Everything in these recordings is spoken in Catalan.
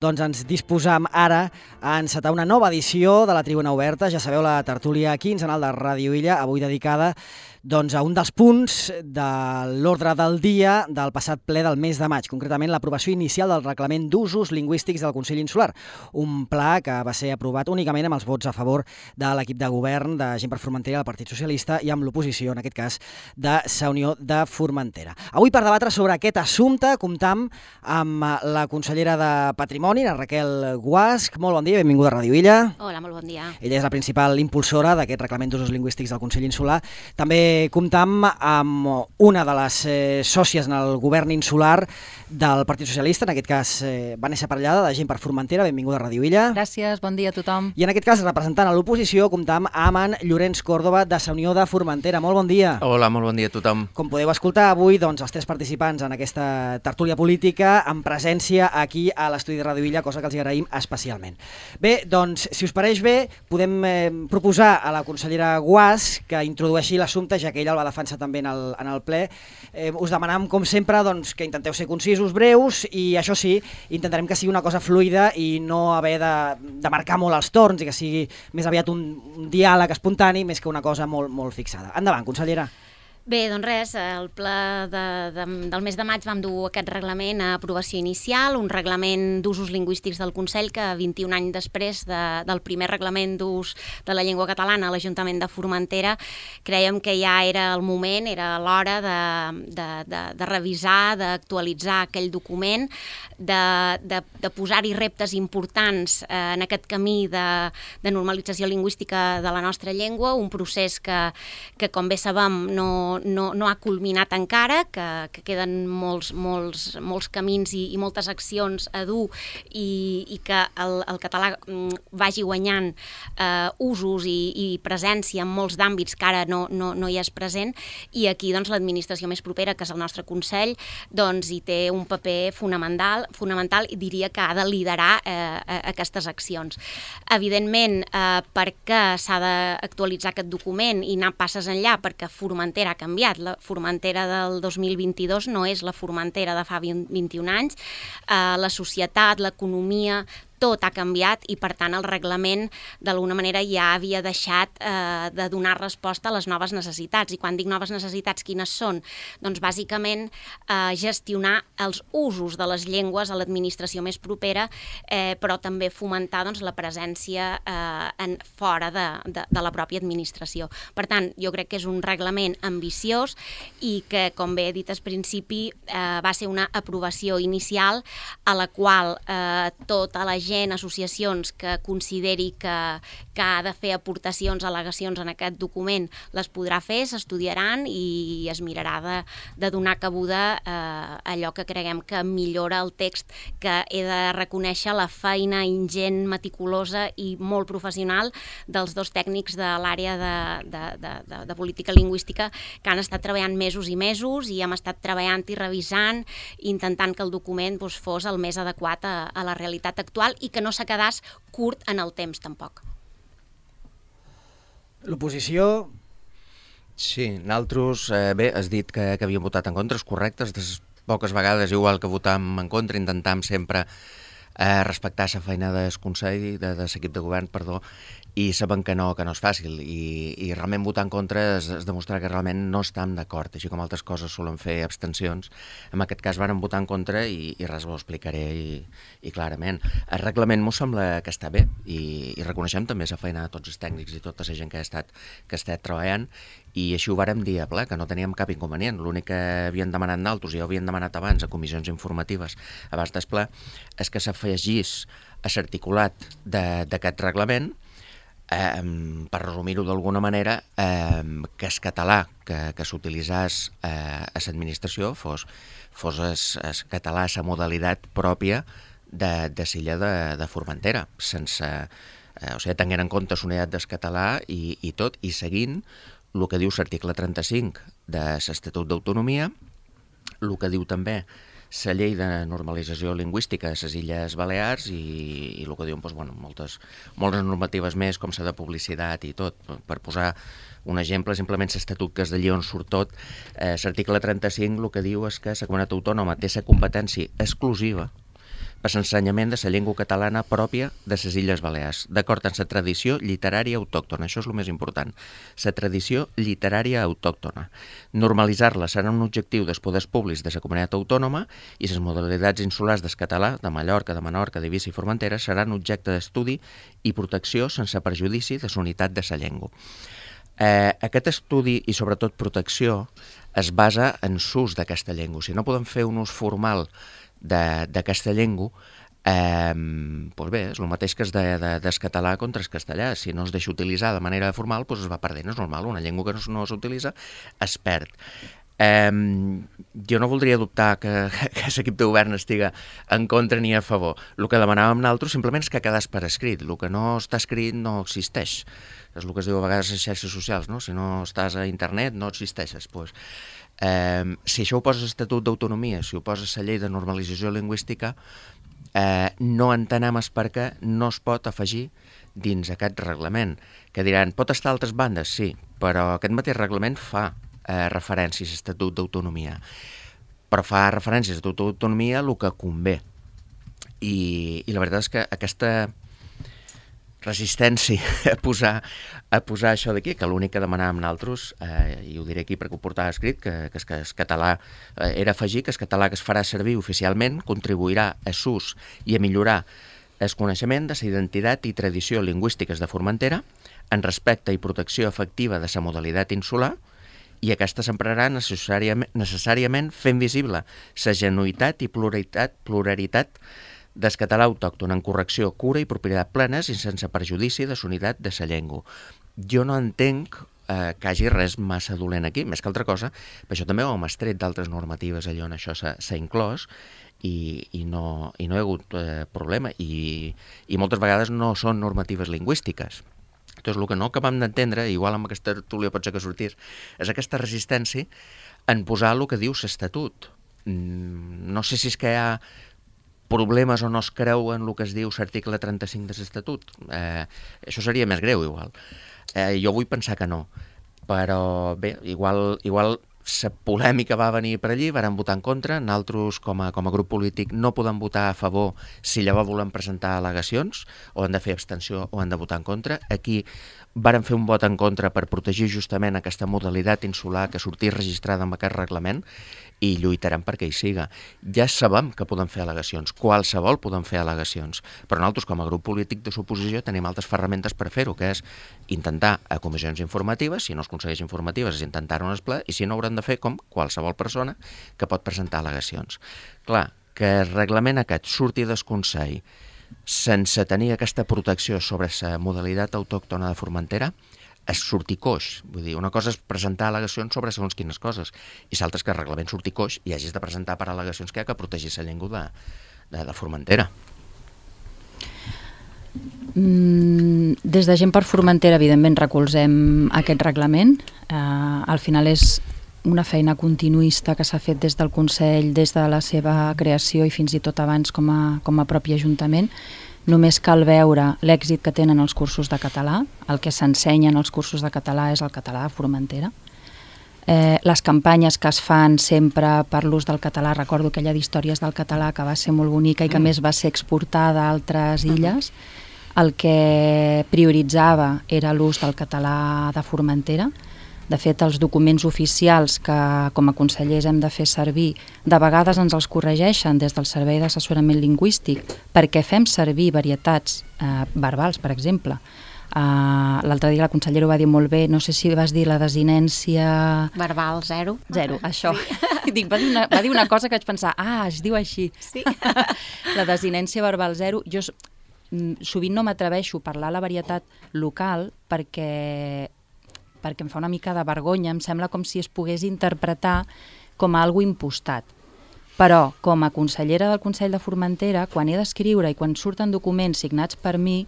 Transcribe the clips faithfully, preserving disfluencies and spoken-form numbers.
Doncs ens disposam ara a encetar una nova edició de la Tribuna Oberta. Ja sabeu, la tertúlia quinzenal de Ràdio Illa, avui dedicada doncs, a un dels punts de l'ordre del dia del passat ple del mes de maig, concretament l'aprovació inicial del Reglament d'Usos Lingüístics del Consell Insular, un pla que va ser aprovat únicament amb els vots a favor de l'equip de govern de Gent per Formentera, del Partit Socialista, i amb l'oposició, en aquest cas, de Sa Unió de Formentera. Avui, per debatre sobre aquest assumpte, comptam amb la consellera de Patrimoni, la Raquel Guasch. Molt bon dia, benvinguda a Ràdio Illa. Hola, molt bon dia. Ella és la principal impulsora d'aquest Reglament d'Usos Lingüístics del Consell Insular. També comptam amb una de les eh, sòcies en el govern insular del Partit Socialista, en aquest cas eh, Vanessa Parellada, de Gent per Formentera. Benvinguda a Ràdio Illa. Gràcies, bon dia a tothom. I en aquest cas, representant a l'oposició, comptam amb en Llorenç Còrdova, de Sa Unió de Formentera. Molt bon dia. Hola, molt bon dia a tothom. Com podeu escoltar, avui doncs, els tres participants en aquesta tertúlia política en presència aquí a l'estudi de Ràdio Illa, cosa que els agraïm especialment. Bé, doncs, si us pareix bé, podem eh, proposar a la consellera Guasch que introdueixi l'assumpte, ja que ella el va defensar també en el, en el ple. Eh, us demanam, com sempre, doncs, que intenteu ser concisos, breus, i això sí, intentarem que sigui una cosa fluida i no haver de, de marcar molt els torns i que sigui més aviat un, un diàleg espontani més que una cosa molt, molt fixada. Endavant, consellera. Bé, doncs res, el ple de, de, del mes de maig vam dur aquest reglament a aprovació inicial, un reglament d'usos lingüístics del Consell que vint-i-un anys després de, del primer reglament d'ús de la llengua catalana a l'Ajuntament de Formentera, creiem que ja era el moment, era l'hora de, de, de, de revisar, d'actualitzar aquell document, de, de, de posar-hi reptes importants eh, en aquest camí de, de normalització lingüística de la nostra llengua, un procés que, que com bé sabem, no No, no ha culminat encara, que, que queden molts, molts, molts camins i, i moltes accions a dur i, i que el, el català vagi guanyant eh, usos i, i presència en molts d'àmbits que ara no, no, no hi és present, i aquí doncs, l'administració més propera, que és el nostre Consell, doncs, hi té un paper fonamental, fonamental i diria que ha de liderar eh, aquestes accions. Evidentment, eh, perquè s'ha d'actualitzar aquest document i anar passes enllà, perquè Formentera ha canviat. La Formentera del dos mil vint-i-dos no és la Formentera de fa vint-i-un anys. Eh, la societat, l'economia, tot ha canviat i, per tant, el reglament d'alguna manera ja havia deixat eh, de donar resposta a les noves necessitats. I quan dic noves necessitats, quines són? Doncs, bàsicament, eh, gestionar els usos de les llengües a l'administració més propera, eh, però també fomentar doncs, la presència eh, en, fora de, de, de la pròpia administració. Per tant, jo crec que és un reglament ambiciós i que, com bé he dit al principi, eh, va ser una aprovació inicial a la qual eh, tota la gent gent, associacions que consideri que, que ha de fer aportacions, al·legacions en aquest document, les podrà fer, s'estudiaran i es mirarà de, de donar cabuda a eh, allò que creguem que millora el text, que he de reconèixer la feina ingent, meticulosa i molt professional dels dos tècnics de l'àrea de, de, de, de, de política lingüística que han estat treballant mesos i mesos i hem estat treballant i revisant, intentant que el document doncs, fos el més adequat a, a la realitat actual i que no se quedés curt en el temps, tampoc. L'oposició... Sí, nosaltres, eh, bé, has dit que, que havíem votat en contra, és correcte, des poques vegades, igual que votam en contra, intentam sempre eh, respectar la feina del Consell, de, de l'equip de govern, perdó, i sabem que no, que no és fàcil, i, i realment votar en contra és, és demostrar que realment no estem d'acord, així com altres coses solen fer abstencions. En aquest cas vàrem votar en contra i, i res ho explicaré i, i clarament. El reglament m'ho sembla que està bé i, i reconeixem també la feina de tots els tècnics i tota la gent que ha estat, que ha estat treballant, i així ho vàrem dir a ple, que no teníem cap inconvenient. L'únic que havien demanat d'altres, i ja ho havien demanat abans a comissions informatives abans del ple, és que s'afegís a l'articulat d'aquest reglament, Eh, per resumir-ho d'alguna manera, eh, que el català que, que s'utilitzés eh, a l'administració fos, fos el català a la modalitat pròpia de, de l'illa de, de Formentera, sense, eh, o sigui, tenint en compte la unitat del català i, i tot, i seguint el que diu l'article trenta-cinc de l'Estatut d'Autonomia, el que diu també la llei de normalització lingüística a les Illes Balears i, i el que diuen doncs, bueno, moltes, moltes normatives més, com la de publicitat i tot. Per posar un exemple, simplement l'Estatut, que és d'allí on surt tot, eh, l'article trenta-cinc el que diu és que la comunitat autònoma té la competència exclusiva per l'ensenyament de la llengua catalana pròpia de les Illes Balears, d'acord amb la tradició literària autòctona. Això és el més important, la tradició literària autòctona. Normalitzar-la serà un objectiu dels poders públics de la comunitat autònoma i les modalitats insulars del català, de Mallorca, de Menorca, d'Eivissa i Formentera, seran objecte d'estudi i protecció sense perjudici de la unitat de la llengua. Eh, aquest estudi i sobretot protecció es basa en l'ús d'aquesta llengua. Si no podem fer un ús formal d'aquesta llengua, eh, doncs bé, és el mateix que es de, de, des català contra el castellà. Si no es deixa utilitzar de manera formal, doncs es va perdent, és normal. Una llengua que no, no s'utilitza es perd. Eh, jo no voldria dubtar que, que l'equip de govern estiga en contra ni a favor. El que demanàvem nosaltres simplement és que quedés per escrit. El que no està escrit no existeix. És el que es diu a vegades a les xarxes socials, no? Si no estàs a internet no existeixes. Pues, eh, si això ho poses a l'Estatut d'Autonomia, si ho poses a la llei de normalització lingüística, eh, no entenem el per què no es pot afegir dins aquest reglament. Que diran, pot estar a altres bandes? Sí, però aquest mateix reglament fa eh, referències a l'Estatut d'Autonomia. Però fa referències a l'Estatut d'Autonomia el que convé. I, i la veritat és que aquesta resistència a posar, a posar això d'aquí, que l'únic que demanàvem nosaltres, eh, i ho diré aquí perquè ho portava escrit, que, que, que el català eh, era afegir que el català que es farà servir oficialment contribuirà a l'ús i a millorar el coneixement de la identitat i tradició lingüístiques de Formentera en respecte i protecció efectiva de la modalitat insular, i aquesta s'emprarà necessàriament, necessàriament fent visible la genuïtat i pluralitat, pluralitat del català autòcton en correcció, cura i propietat plenes i sense perjudici de la unitat de la llengua. Jo no entenc eh, que hagi res massa dolent aquí, més que altra cosa, per això també ho hem estret d'altres normatives allò on això s'ha inclòs i, i, no, i no hi ha hagut eh, problema i, i moltes vegades no són normatives lingüístiques. Doncs el que no acabem d'entendre, igual amb aquesta tertúlia pot ser que sortís, és aquesta resistència en posar el que diu l'Estatut. No sé si és que hi ha problemes o no es creu en el que es diu l'article trenta-cinc de l'Estatut. Eh, això seria més greu, igual. Eh, jo vull pensar que no. Però bé, igual, igual la polèmica va venir per allí, varen votar en contra. Nosaltres, com a, com a grup polític, no podem votar a favor si llavors volem presentar al·legacions, o han de fer abstenció o han de votar en contra. Aquí varen fer un vot en contra per protegir justament aquesta modalitat insular que sortís registrada amb aquest reglament i lluitarem perquè hi siga. Ja sabem que podem fer al·legacions, qualsevol podem fer al·legacions, però nosaltres com a grup polític de l'oposició tenim altres ferramentes per fer-ho, que és intentar a comissions informatives, si no es aconsegueix informatives és intentar-ho en el ple, i si no haurem de fer com qualsevol persona que pot presentar al·legacions. Clar, que el reglament aquest surti del Consell sense tenir aquesta protecció sobre la modalitat autòctona de Formentera és sortir coix. Vull dir, una cosa és presentar al·legacions sobre segons quines coses i l'altra és que el reglament surti coix i hagis de presentar per al·legacions que hi ha que protegir la llengua de, de, de Formentera. Mm, des de Gent per Formentera, evidentment, recolzem aquest reglament. Uh, al final és una feina continuista que s'ha fet des del Consell, des de la seva creació i fins i tot abans com a, com a propi Ajuntament. Només cal veure l'èxit que tenen els cursos de català. El que s'ensenya en els cursos de català és el català de Formentera. Eh, les campanyes que es fan sempre per l'ús del català, recordo aquella d'històries del català que va ser molt bonica i que a més va ser exportada a altres illes, el que prioritzava era l'ús del català de Formentera. De fet, els documents oficials que com a consellers hem de fer servir, de vegades ens els corregeixen des del Servei d'Assessorament Lingüístic perquè fem servir varietats eh, verbals, per exemple. Uh, L'altre dia la consellera ho va dir molt bé, no sé si vas dir la desinència... Verbal zero. Zero, això. Sí. Dic, va, dir una, va dir una cosa que vaig pensar, ah, es diu així. Sí. La desinència verbal zero. Jo sovint no m'atreveixo a parlar la varietat local perquè... perquè em fa una mica de vergonya, em sembla com si es pogués interpretar com a algo impostat. Però, com a consellera del Consell de Formentera, quan he d'escriure i quan surten documents signats per mi,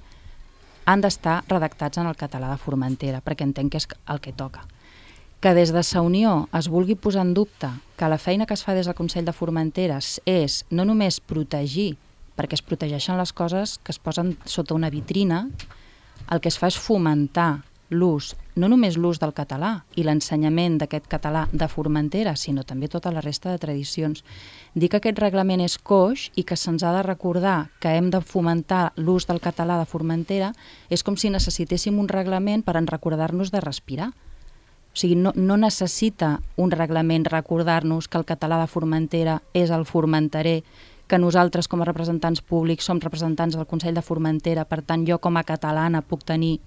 han d'estar redactats en el català de Formentera, perquè entenc que és el que toca. Que des de Sa Unió es vulgui posar en dubte que la feina que es fa des del Consell de Formentera és no només protegir, perquè es protegeixen les coses que es posen sota una vitrina, el que es fa és fomentar l'ús no només l'ús del català i l'ensenyament d'aquest català de Formentera, sinó també tota la resta de tradicions. Dir que aquest reglament és coix i que se'ns ha de recordar que hem de fomentar l'ús del català de Formentera és com si necessitéssim un reglament per en recordar-nos de respirar. O sigui, no, no necessita un reglament recordar-nos que el català de Formentera és el formenterer, que nosaltres com a representants públics som representants del Consell de Formentera, per tant jo com a catalana puc tenir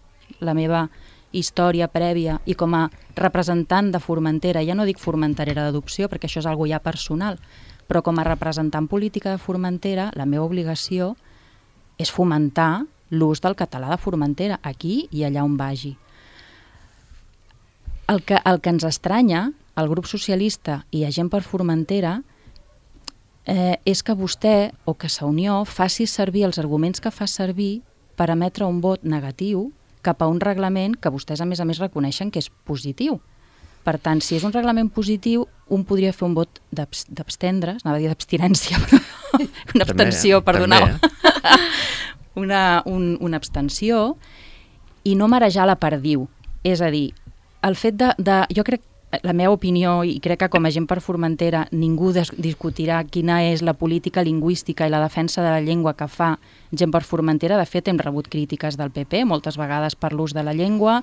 la meva història prèvia i com a representant de Formentera, ja no dic formenterera d'adopció perquè això és algo ja personal, però com a representant política de Formentera la meva obligació és fomentar l'ús del català de Formentera aquí i allà on vagi. El que, el que ens estranya, al grup socialista i a Gent per Formentera, eh, és que vostè o que Sa Unió faci servir els arguments que fa servir per emetre un vot negatiu cap a un reglament que vostès a més a més reconeixen que és positiu. Per tant, si és un reglament positiu, un podria fer un vot d'abstendre's, anava a dir d'abstinència, però una abstenció, perdoneu. una, un, una abstenció i no marejar la perdiu. És a dir, el fet de, de... Jo crec, la meva opinió, i crec que com a Gent per Formentera ningú discutirà quina és la política lingüística i la defensa de la llengua que fa Gent per Formentera. De fet, hem rebut crítiques del P P, moltes vegades per l'ús de la llengua,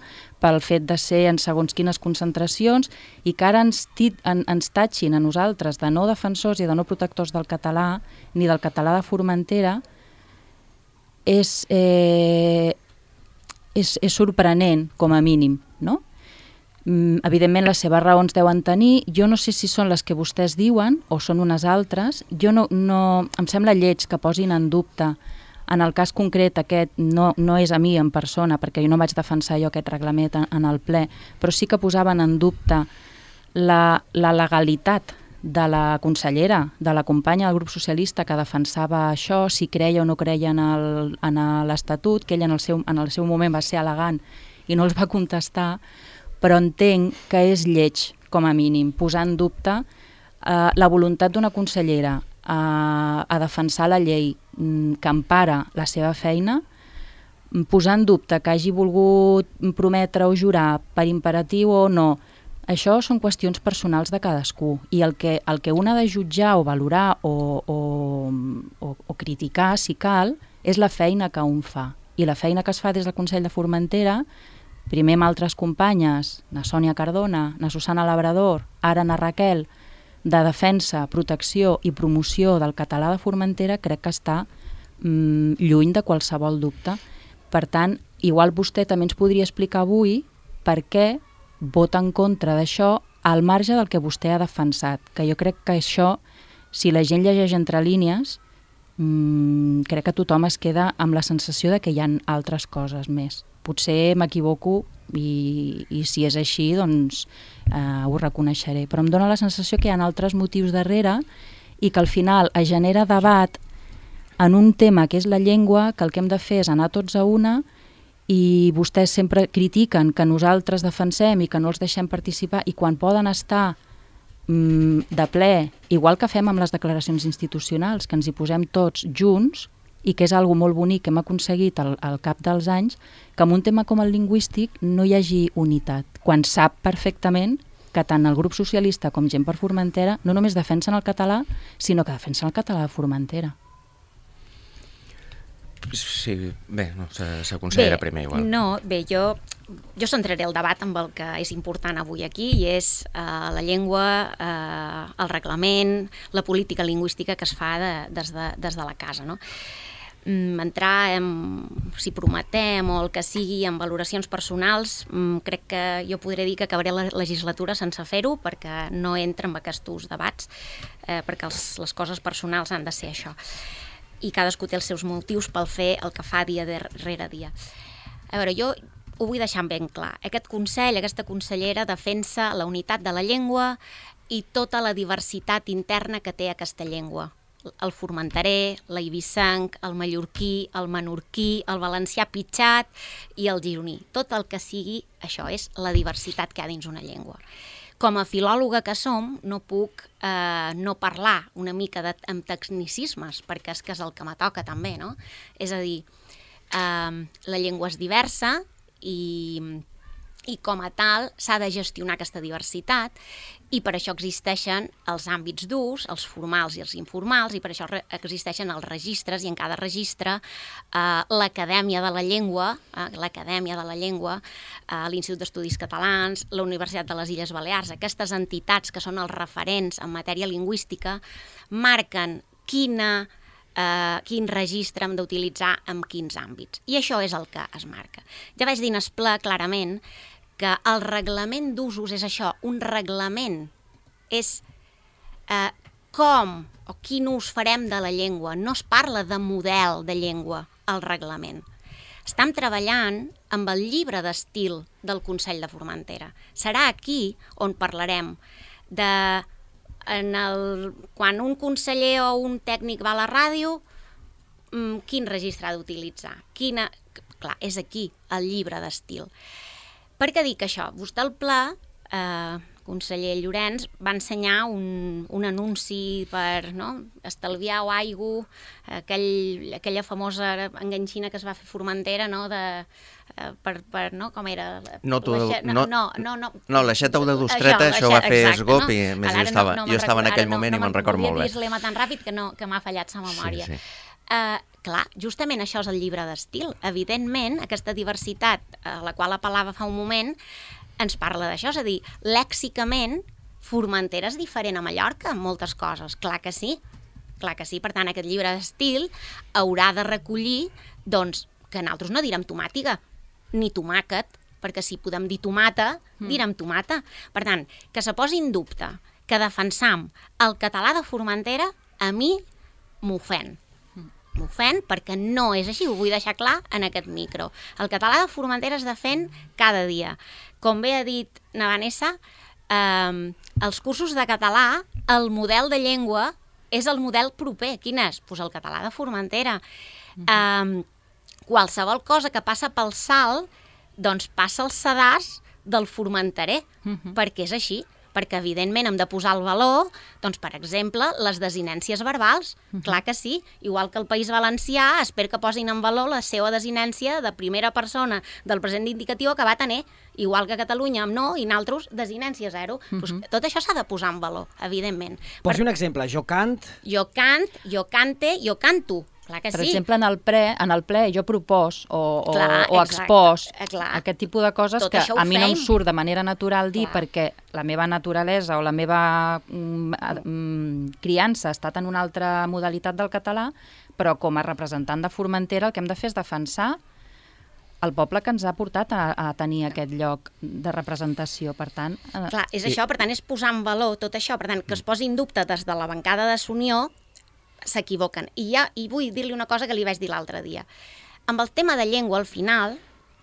pel fet de ser en segons quines concentracions, i que ara ens, tit, en, ens tatxin a nosaltres de no defensors i de no protectors del català, ni del català de Formentera, és, eh, és, és sorprenent, com a mínim, no? Mm, evidentment les seves raons deuen tenir, jo no sé si són les que vostès diuen o són unes altres. Jo no, no, em sembla lleig que posin en dubte, en el cas concret aquest no, no és a mi en persona perquè jo no vaig defensar jo aquest reglament en, en el ple, però sí que posaven en dubte la, la legalitat de la consellera, de la companya del grup socialista que defensava això, si creia o no creia en l'Estatut, que ella en el, seu, en el seu moment va ser elegant i no els va contestar, però entenc que és lleig, com a mínim, posar en dubte eh, la voluntat d'una consellera a, a defensar la llei que empara la seva feina, posar en dubte que hagi volgut prometre o jurar per imperatiu o no. Això són qüestions personals de cadascú i el que, el que un ha de jutjar o valorar o, o, o, o criticar, si cal, és la feina que un fa. I la feina que es fa des del Consell de Formentera, primer amb altres companyes, na Sònia Cardona, na Susana Labrador, ara na Raquel, de defensa, protecció i promoció del català de Formentera, crec que està mm, lluny de qualsevol dubte. Per tant, igual vostè també ens podria explicar avui per què vota en contra d'això al marge del que vostè ha defensat, que jo crec que això, si la gent llegeix entre línies, mmm, crec que tothom es queda amb la sensació de que hi ha altres coses més. Potser m'equivoco i, i si és així, doncs eh, ho reconeixeré. Però em dóna la sensació que hi ha altres motius darrere i que al final es genera debat en un tema que és la llengua, que el que hem de fer és anar tots a una i vostès sempre critiquen que nosaltres defensem i que no els deixem participar i quan poden estar mm, de ple, igual que fem amb les declaracions institucionals, que ens hi posem tots junts, i que és algo molt bonic que hem aconseguit al, al cap dels anys, que en un tema com el lingüístic no hi hagi unitat, quan sap perfectament que tant el grup socialista com Gent per Formentera no només defensen el català, sinó que defensen el català de Formentera. Sí, bé, no, s'aconsellera primer igual. No, bé, jo, jo centraré el debat amb el que és important avui aquí i és eh, la llengua, eh, el reglament, la política lingüística que es fa de, des, de, des de la casa, no? Entrar en, si prometem o el que sigui, en valoracions personals, crec que jo podré dir que acabaré la legislatura sense fer-ho perquè no entra en aquests debats, eh, perquè els, les coses personals han de ser això. I cadascú té els seus motius pel fer el que fa dia darrere dia. A veure, jo ho vull deixar ben clar. Aquest Consell, aquesta consellera defensa la unitat de la llengua i tota la diversitat interna que té aquesta llengua. El formenterè, l'eivissenc, el mallorquí, el menorquí, el valencià pitxat i el gironí. Tot el que sigui, això és la diversitat que hi ha dins una llengua. Com a filòloga que som, no puc eh, no parlar una mica de, amb tecnicismes, perquè és que és el que me toca també, no? És a dir, eh, la llengua és diversa i i com a tal s'ha de gestionar aquesta diversitat i per això existeixen els àmbits d'ús, els formals i els informals, i per això existeixen els registres, i en cada registre eh, l'Acadèmia de la Llengua, eh, l'Acadèmia de la Llengua, eh, l'Institut d'Estudis Catalans, la Universitat de les Illes Balears, aquestes entitats que són els referents en matèria lingüística, marquen quina Uh, quin registre hem d'utilitzar en quins àmbits. I això és el que es marca. Ja vaig dir en esplà clarament que el reglament d'usos és això, un reglament és uh, com o quin ús farem de la llengua. No es parla de model de llengua al reglament. Estem treballant amb el llibre d'estil del Consell de Formentera. Serà aquí on parlarem de En el, quan un conseller o un tècnic va a la ràdio, quin registre ha d'utilitzar? Quina... Clar, és aquí, el llibre d'estil. Per què dic això? Vostè al pla, eh, conseller Llorenç, va ensenyar un, un anunci per no, estalviar o aigua, aquell, aquella famosa enganxina que es va fer Formentera, no, de... Per, per, no? Com era? No, tu, no, no, no, no, no. no l'aixeta o de Dostreta, això, això va fer exacte, Esgop, no? i més jo Ara estava, no, no jo estava en aquell no, moment no, i me'n record molt bé. Volia dir l'ema tan ràpid que, no, que m'ha fallat la memòria. Sí, sí. Uh, clar, justament això és el llibre d'estil. Evidentment, aquesta diversitat a la qual apel·lava fa un moment ens parla d'això, és a dir, lèxicament, Formentera és diferent a Mallorca en moltes coses, clar que sí, clar que sí. Per tant, aquest llibre d'estil haurà de recollir, doncs, que nosaltres no direm tomàtiga, ni tomàquet, perquè si podem dir tomata, mm. direm tomata. Per tant, que se posi en dubte que defensam el català de Formentera, a mi m'ofèn. M'ofèn perquè no és així, ho vull deixar clar en aquest micro. El català de Formentera es defèn cada dia. Com bé ha dit na Vanessa, eh, els cursos de català, el model de llengua és el model proper. Quin és? Pues el català de Formentera. Mm-hmm. Eh, qualsevol cosa que passa pel salt, doncs passa al sedàs del formenterer, uh-huh. perquè és així, perquè evidentment hem de posar el valor, doncs per exemple, les desinències verbals, uh-huh. clar que sí, igual que el País Valencià, espero que posin en valor la seva desinència de primera persona del present indicatiu que va tenir, igual que Catalunya amb no, i nosaltres desinència zero. Uh-huh. Pues tot això s'ha de posar en valor, evidentment. Posi per... un exemple, jo cant... Jo cant, jo cante, jo canto. Clar que per sí. exemple, en el, pre, en el ple jo propos o, o, clar, o expòs clar. aquest tipus de coses tot que a mi fem. no em surt de manera natural dir, clar. perquè la meva naturalesa o la meva mm, mm, criança ha estat en una altra modalitat del català, però com a representant de Formentera el que hem de fer és defensar el poble que ens ha portat a, a tenir aquest lloc de representació, per tant... Eh... Clar, és això, per tant, és posar en valor tot això, per tant, que es posi en dubte des de la bancada de Sunió, s'equivoquen. I, ja, I vull dir-li una cosa que li vaig dir l'altre dia. Amb el tema de llengua, al final,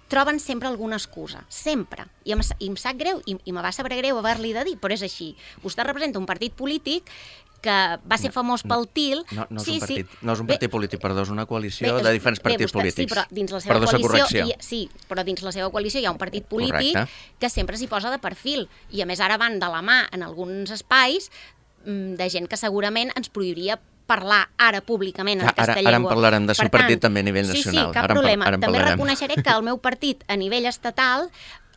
troben sempre alguna excusa. Sempre. I em, i em sap greu, i, i me va saber greu haver-li de dir, però és així. Vostè representa un partit polític que va ser famós pel T I L. No, no, és, sí, un partit, sí. no és un partit bé, polític, perdó, és una coalició bé, de diferents bé, partits vostè, polítics. Sí, però dins la seva perdó, coalició, hi, sí, però dins la seva coalició hi ha un partit polític correcte. Que sempre s'hi posa de perfil. I a més ara van de la mà en alguns espais de gent que segurament ens prohibiria parlar ara públicament en ara, aquesta ara llengua. Ara en parlarem del seu partit també a nivell sí, nacional. Sí, cap ara problema. En, ara en també parlarem. reconeixeré que el meu partit a nivell estatal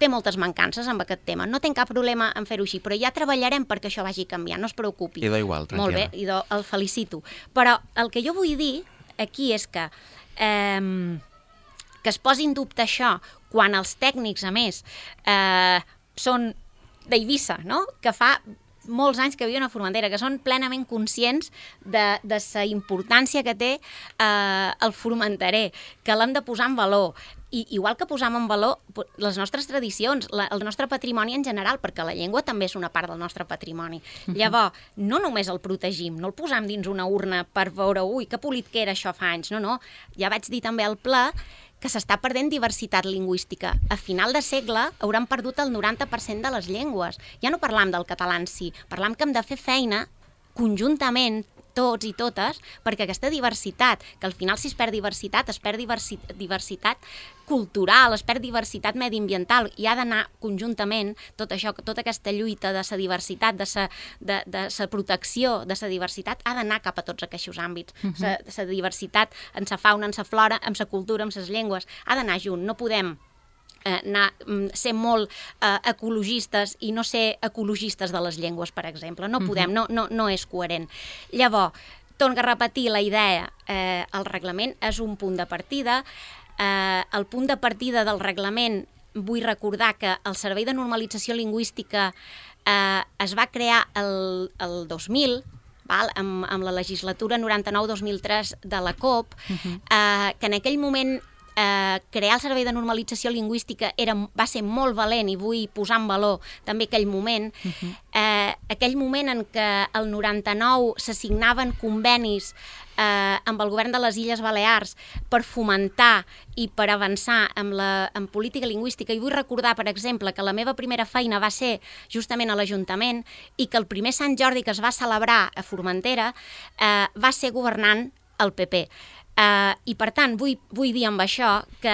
té moltes mancances amb aquest tema. No tinc cap problema en fer-ho així, però ja treballarem perquè això vagi canviant, no es preocupi. I do igual, tranquil·la. Molt bé, i do, el felicito. Però el que jo vull dir aquí és que eh, que es posi en dubte això quan els tècnics, a més, eh, són d'Eivissa, no? Que fa molts anys que viuen a Formentera, que són plenament conscients de, de la importància que té eh, el formenterer, que l'hem de posar en valor. I igual que posam en valor les nostres tradicions, la, el nostre patrimoni en general, perquè la llengua també és una part del nostre patrimoni. Uh-huh. Llavors, no només el protegim, no el posam dins una urna per veure, ui, que polit que era això fa anys, no, no. Ja vaig dir també al ple que s'està perdent diversitat lingüística. A final de segle hauran perdut el noranta per cent de les llengües. Ja no parlam del català en si, parlam que hem de fer feina conjuntament, tots i totes, perquè aquesta diversitat, que al final si es perd diversitat, es perd diversi, diversitat cultural, es perd diversitat mediambiental, i ha d'anar conjuntament tot això, tota aquesta lluita de la diversitat, de la de, de sa protecció de la diversitat, ha d'anar cap a tots aquests àmbits. Uh-huh. La diversitat en la fauna, en la flora, en la cultura, en les llengües, ha d'anar junt. No podem eh, anar, ser molt eh, ecologistes i no ser ecologistes de les llengües, per exemple. No podem, no, no, no és coherent. Llavors, torno a repetir la idea, eh, el reglament és un punt de partida. Eh, el punt de partida del reglament, vull recordar que el Servei de Normalització Lingüística eh, es va crear el, el dos mil, val? Amb, amb la legislatura noranta-nou dos mil tres de la COP, uh-huh. eh, que en aquell moment eh, crear el Servei de Normalització Lingüística era, va ser molt valent i vull posar en valor també aquell moment, uh-huh. eh, aquell moment en què el noranta-nou s'assignaven convenis eh, amb el govern de les Illes Balears per fomentar i per avançar en, la, en política lingüística. I vull recordar, per exemple, que la meva primera feina va ser justament a l'Ajuntament i que el primer Sant Jordi que es va celebrar a Formentera eh, va ser governant el P P. Uh, I per tant vull, vull dir amb això que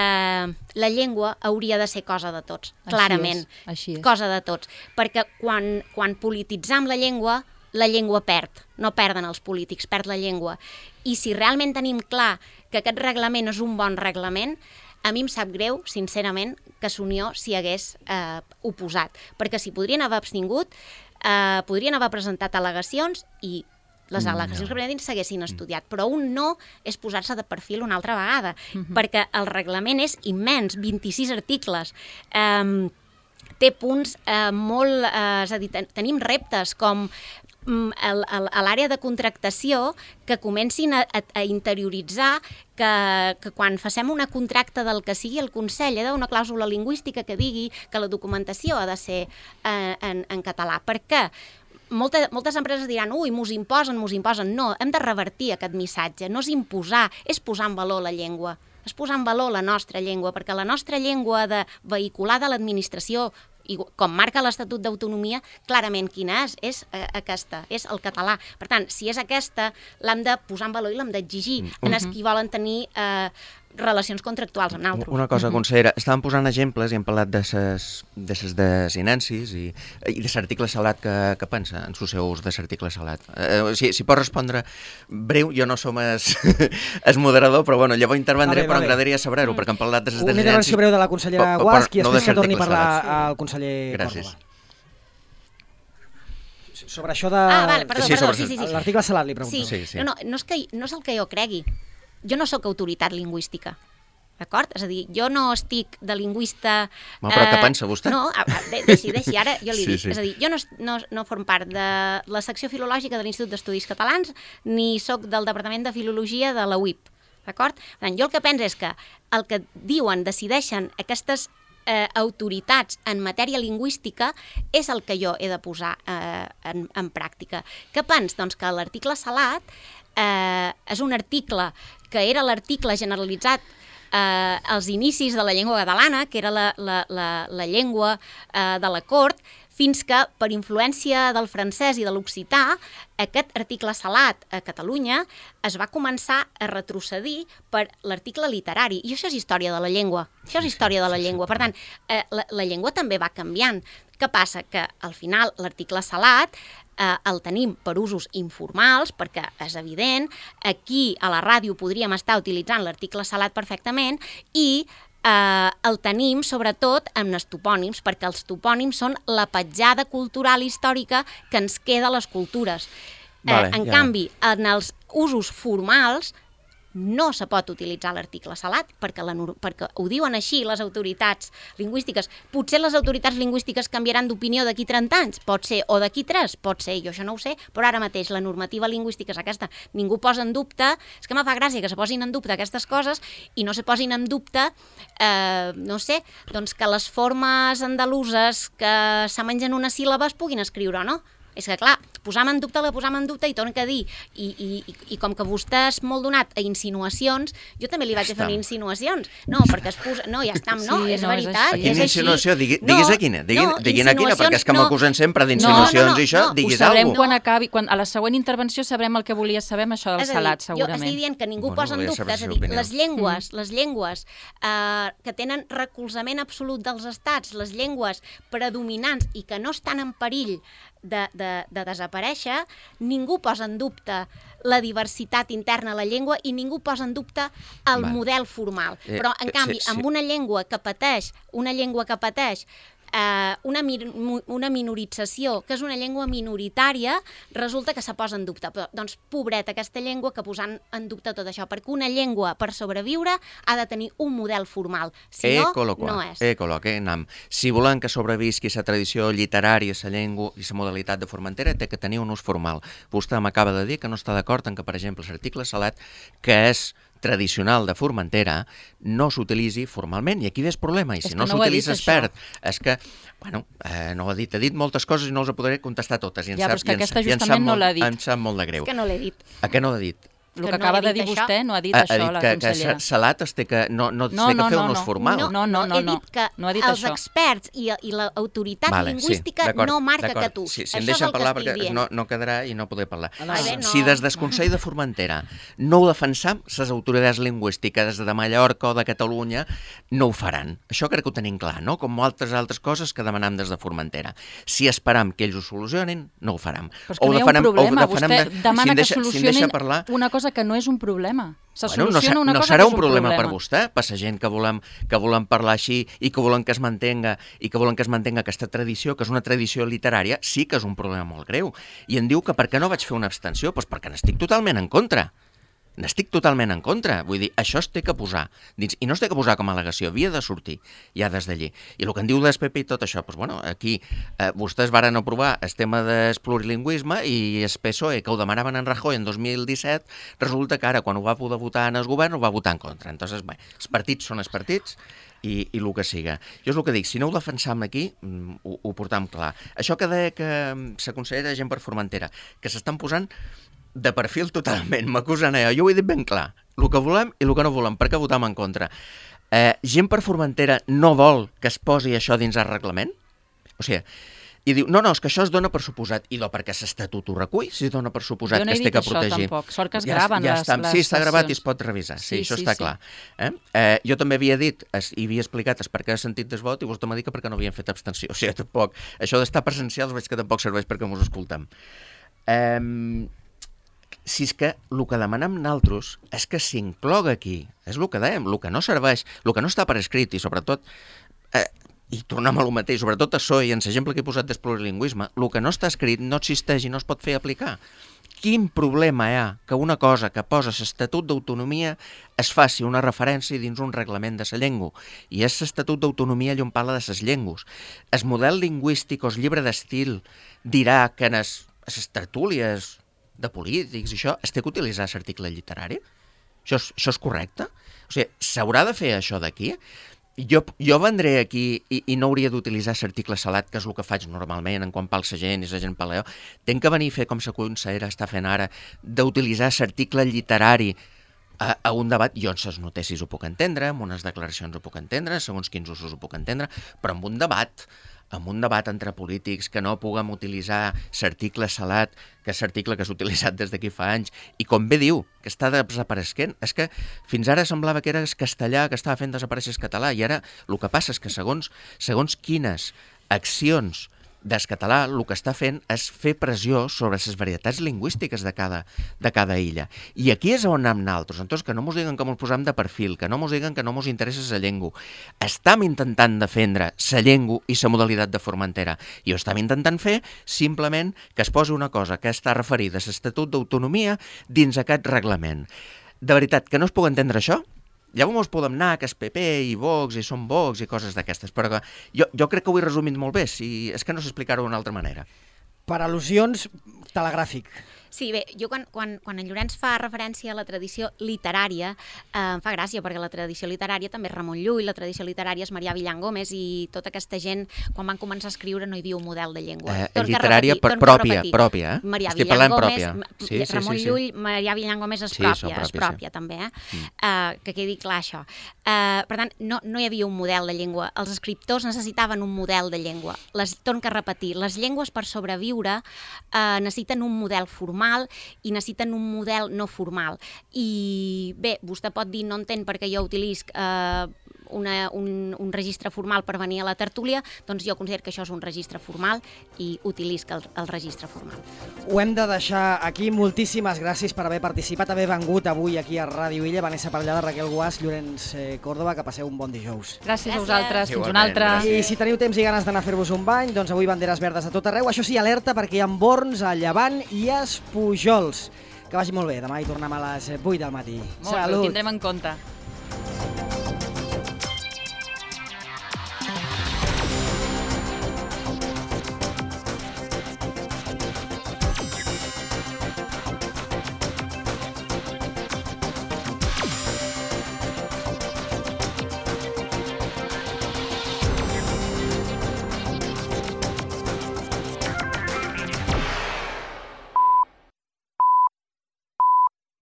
la llengua hauria de ser cosa de tots, així clarament, és, així és. Cosa de tots, perquè quan, quan polititzam la llengua, la llengua perd, no perden els polítics, perd la llengua. I si realment tenim clar que aquest reglament és un bon reglament, a mi em sap greu, sincerament, que Unió s'hi hagués eh, oposat, perquè s'hi podrien haver abstingut, eh, podrien haver presentat al·legacions i les al·legacions no. que presentin s'haguessin estudiat, però un no és posar-se de perfil una altra vegada, uh-huh. perquè el reglament és immens, vint-i-sis articles, eh, té punts eh, molt... Eh, és a dir, ten, tenim reptes com mm, el, el, a l'àrea de contractació que comencin a, a, a interioritzar que, que quan facem una contracta del que sigui el Consell, hi ha d'haver una clàusula lingüística que digui que la documentació ha de ser eh, en, en català. Per què? Molta, moltes empreses diran, ui, mos imposen, mos imposen. No, hem de revertir aquest missatge. No és imposar, és posar en valor la llengua. És posar en valor la nostra llengua, perquè la nostra llengua de vehicular de l'administració, i com marca l'Estatut d'Autonomia, clarament quina és, és eh, aquesta, és el català. Per tant, si és aquesta, l'hem de posar en valor i l'hem d'exigir en els qui volen tenir eh, relacions contractuals amb altres. Una cosa, consellera, estàvem posant exemples i hem parlat de ses desinències i, i de l'article salat que, que pensa en sus seus de l'article salat. Eh, si, si pot respondre breu, jo no som es, es moderador, però bueno, llavors intervendré, però m'agradaria saber-ho, perquè hem parlat de ses desinències. Una intervenció breu de la consellera Guasch i després que torni a parlar al conseller Gràcies. Córdoba. Sobre això de... Ah, vale, perdó, sí, perdó, sobre... sí, sí, sí. L'article salat li pregunto. Sí, sí, sí. No, no, no, és que, no és el que jo cregui. Jo no sóc autoritat lingüística, d'acord? És a dir, jo no estic de lingüista... Ma, però eh, què pensa vostè? No, de, deixi, deixi, ara jo li sí, dic. Sí. És a dir, jo no, no, no form part de la secció filològica de l'Institut d'Estudis Catalans ni sóc del Departament de Filologia de la U I P, d'acord? Per tant, jo el que penso és que el que diuen, decideixen aquestes Eh, autoritats en matèria lingüística és el que jo he de posar eh, en, en pràctica. Què pens? Doncs que l'article salat eh, és un article que era l'article generalitzat eh, als inicis de la llengua catalana, que era la, la, la, la llengua eh, de la cort, fins que, per influència del francès i de l'occità, aquest article salat a Catalunya es va començar a retrocedir per l'article literari. I això és història de la llengua. Això és història de la llengua. Per tant, eh, la, la llengua també va canviant. Què passa? Que al final l'article salat eh, el tenim per usos informals, perquè és evident, aquí a la ràdio podríem estar utilitzant l'article salat perfectament i Eh, el tenim sobretot amb els topònims, perquè els topònims són la petjada cultural històrica que ens queda a les cultures. Vale, eh, en ja. canvi, en els usos formals no se pot utilitzar l'article salat, perquè, la, perquè ho diuen així les autoritats lingüístiques. Potser les autoritats lingüístiques canviaran d'opinió d'aquí trenta anys, pot ser, o d'aquí tres, pot ser, jo això no ho sé, però ara mateix la normativa lingüística és aquesta. Ningú posa en dubte, és que me fa gràcia que se posin en dubte aquestes coses i no se posin en dubte, eh, no sé, doncs que les formes andaluses que se mengen una síl·laba es puguin escriure o no. És que, clar, posam en dubte, la posam en dubte i torno a dir, i, i, i com que vostè és molt donat a insinuacions, jo també li vaig a fer insinuacions. No, perquè es posa... No, ja està, no, sí, és no, veritat, és és, quina així. insinuació? Digui, diguis no, a quina, digui, no, diguin a quina, perquè és que m'acusen no, sempre d'insinuacions no, no, no, i això, no, diguis ho sabrem alguna quan acabi, quan, a la següent intervenció sabrem el que volia saber amb això del és a dir, salat, segurament. Jo estic dient que ningú Bueno, posa en volia dubte, saber és la a seva dir, opinió. les llengües, les llengües eh, que tenen recolzament absolut dels estats, les llengües predominants i que no estan en perill de, de, de desaparèixer, ningú posa en dubte la diversitat interna a la llengua i ningú posa en dubte el Val. model formal. Eh, Però, en eh, canvi, sí, sí. amb una llengua que pateix, una llengua que pateix eh, una, mi una minorització, que és una llengua minoritària, resulta que se posa en dubte. Però, doncs, pobreta aquesta llengua que posant en dubte tot això, perquè una llengua, per sobreviure, ha de tenir un model formal. Si no, no és. Ecolo, que nam. Si volen que sobrevisqui la tradició literària, la llengua i la modalitat de Formentera, té que tenir un ús formal. Vostè m'acaba de dir que no està d'acord en que, per exemple, l'article salat, que és tradicional de Formentera, no s'utilitzi formalment, i aquí ve el problema, i si no s'utilitza es perd. És que, bueno, eh, no ho ha dit, ha dit moltes coses i no els podré contestar totes. I ja, però és que aquesta justament no l'ha dit. Em sap molt de greu. És que no l'he dit. A què no l'ha dit? El que acaba de dir vostè no ha dit Ha, això, ha dit la que, consellera. que Salat es té que, no, no, No, té que no, fer no, un ús no. formal. No, no, no, he no. dit que No ha dit els això. experts i, i l'autoritat Vale, lingüística sí, no marca que tu. Sí, si em Això és deixen el que parlar estic perquè dient. no, no quedarà i no podré parlar. Ah, no. Ai, bé, no. Si des del Consell de Formentera no ho defensam, les autoritats lingüístiques de Mallorca o de Catalunya no ho faran. Això crec que ho tenim clar, no? Com altres altres coses que demanam des de Formentera. Si esperam que ells ho solucionin, no ho faram. Però és que no hi ha un problema. Vostè demana que solucionin una cosa que no és un problema. Se Bueno, no, soluciona una no cosa serà que és un un problema, problema per vostè, per la gent que volem, que volem parlar així i que volen que es mantenga i que volen que es mantenga aquesta tradició, que és una tradició literària, sí que és un problema molt greu. I em diu que per què no vaig fer una abstenció? Doncs perquè n'estic totalment en contra. N'estic totalment en contra. Vull dir, això es té que posar dins, i no es té que posar com a al·legació, havia de sortir ja des d'allí. I el que en diu del P P i tot això, doncs, bueno, aquí eh, vostès varen aprovar el tema del plurilingüisme i el P S O E, que ho demanaven en Rajoy en dos mil disset, resulta que ara, quan ho va poder votar en el govern, ho va votar en contra. Entonces, bé, els partits són els partits i, i el que siga. Jo és el que dic, si no ho defensam aquí, ho, ho portam clar. Això que deia que s'aconsellera gent per Formentera, que s'estan posant de perfil totalment, m'acusen allò. Jo ho he dit ben clar, el que volem i el que no volem, per què votam en contra. Eh, gent per Formentera no vol que es posi això dins el reglament? O sigui, i diu, no, no, és que això es dona per suposat. I do perquè l'Estatut ho recull, si es dona per suposat que es té que protegir. Jo no he dit això, tampoc. Sort que es graven ja, ja les, està. les Sí, està gravat i sessions. es pot revisar. Sí, Sí, això sí, està sí. clar. Eh? Eh, jo també havia dit es, i havia explicat es per què he sentit des vot i vostè m'ha dit que perquè no havien fet abstenció. O sigui, tampoc. Això d'estar presencials veig que tampoc serveix perquè mos escoltem. Eh, si és que el que demanem nosaltres és que s'incloga aquí, és el que dèiem, el que no serveix, el que no està per escrit i sobretot, eh, i tornem a lo mateix, sobretot a S O E i en l'exemple que he posat del plurilingüisme, el que no està escrit no existeix i no es pot fer aplicar. Quin problema hi ha que una cosa que posa l'Estatut d'Autonomia es faci una referència dins un reglament de la llengua? I és l'Estatut d'Autonomia allà on parla de les llengües. El model lingüístic o el llibre d'estil dirà que en les tertúlies de polítics i això, es té que utilitzar l'article literari? Això és, això és correcte? O sigui, s'haurà de fer això d'aquí? Jo, jo vendré aquí i, i no hauria d'utilitzar l'article salat, que és el que faig normalment en quan parla la gent i la gent parla. Tenc que venir a fer com la consellera està fent ara, d'utilitzar l'article literari a, a un debat. Jo en les notícies ho puc entendre, en unes declaracions ho puc entendre, segons quins usos ho puc entendre, però en un debat en un debat entre polítics que no puguem utilitzar l'article salat, que és l'article que s'ha utilitzat des d'aquí fa anys, i com bé diu, que està desapareixent, és que fins ara semblava que era el castellà que estava fent desaparèixer el català, i ara el que passa és que segons, segons quines accions del català, el que està fent és fer pressió sobre les varietats lingüístiques de cada, de cada illa. I aquí és on anem nosaltres. Entonces, que no mos diguen que mos posem de perfil, que no mos diguen que no mos interessa la llengua. Estam intentant defendre la llengua i la modalitat de Formentera. I ho estam intentant fer simplement que es posi una cosa que està referida a l'Estatut d'Autonomia dins aquest reglament. De veritat, que no es pugui entendre això? Llavors podem anar que és P P i Vox i són Vox i coses d'aquestes, però que jo, jo crec que ho he resumit molt bé, si és que no sé explicar-ho d'una altra manera. Per al·lusions, telegràfic. Sí, bé, jo quan, quan, quan en Llorenç fa referència a la tradició literària, eh, em fa gràcia, perquè la tradició literària també és Ramon Llull, la tradició literària és Marià Villan Gómez, i tota aquesta gent, quan van començar a escriure, no hi havia un model de llengua. Eh, literària repetir, pròpia, pròpia, eh? Marià Estic Villan parlant Gómez, pròpia. Sí, sí, Ramon sí, sí. Llull, Marià Villan Gómez és Sí, pròpia, són pròpies, és pròpia sí. també, eh? Mm. Uh, que quedi clar això. Uh, per tant, no, no hi havia un model de llengua. Els escriptors necessitaven un model de llengua. Les, torno a repetir, les llengües per sobreviure uh, necessiten un model formal i necessiten un model no formal. I bé, vostè pot dir, no entén perquè jo utilisc eh, una, un, un registre formal per venir a la tertúlia, doncs jo considero que això és un registre formal i utilisc el, el registre formal. Ho hem de deixar aquí. Moltíssimes gràcies per haver participat, haver vengut avui aquí a Ràdio Illa. Vanessa Parellada, Raquel Guàs, Llorenç Córdoba, que passeu un bon dijous. Gràcies, Gràcies. a vosaltres, fins Igualment, una altra. gràcies. I si teniu temps i ganes d'anar a fer-vos un bany, doncs avui banderes verdes a tot arreu. Això sí, alerta, perquè hi ha borns a Llevant i a Espujols. Que vagi molt bé. Demà hi tornem a les vuit del matí. Molt bé, ho tindrem en compte.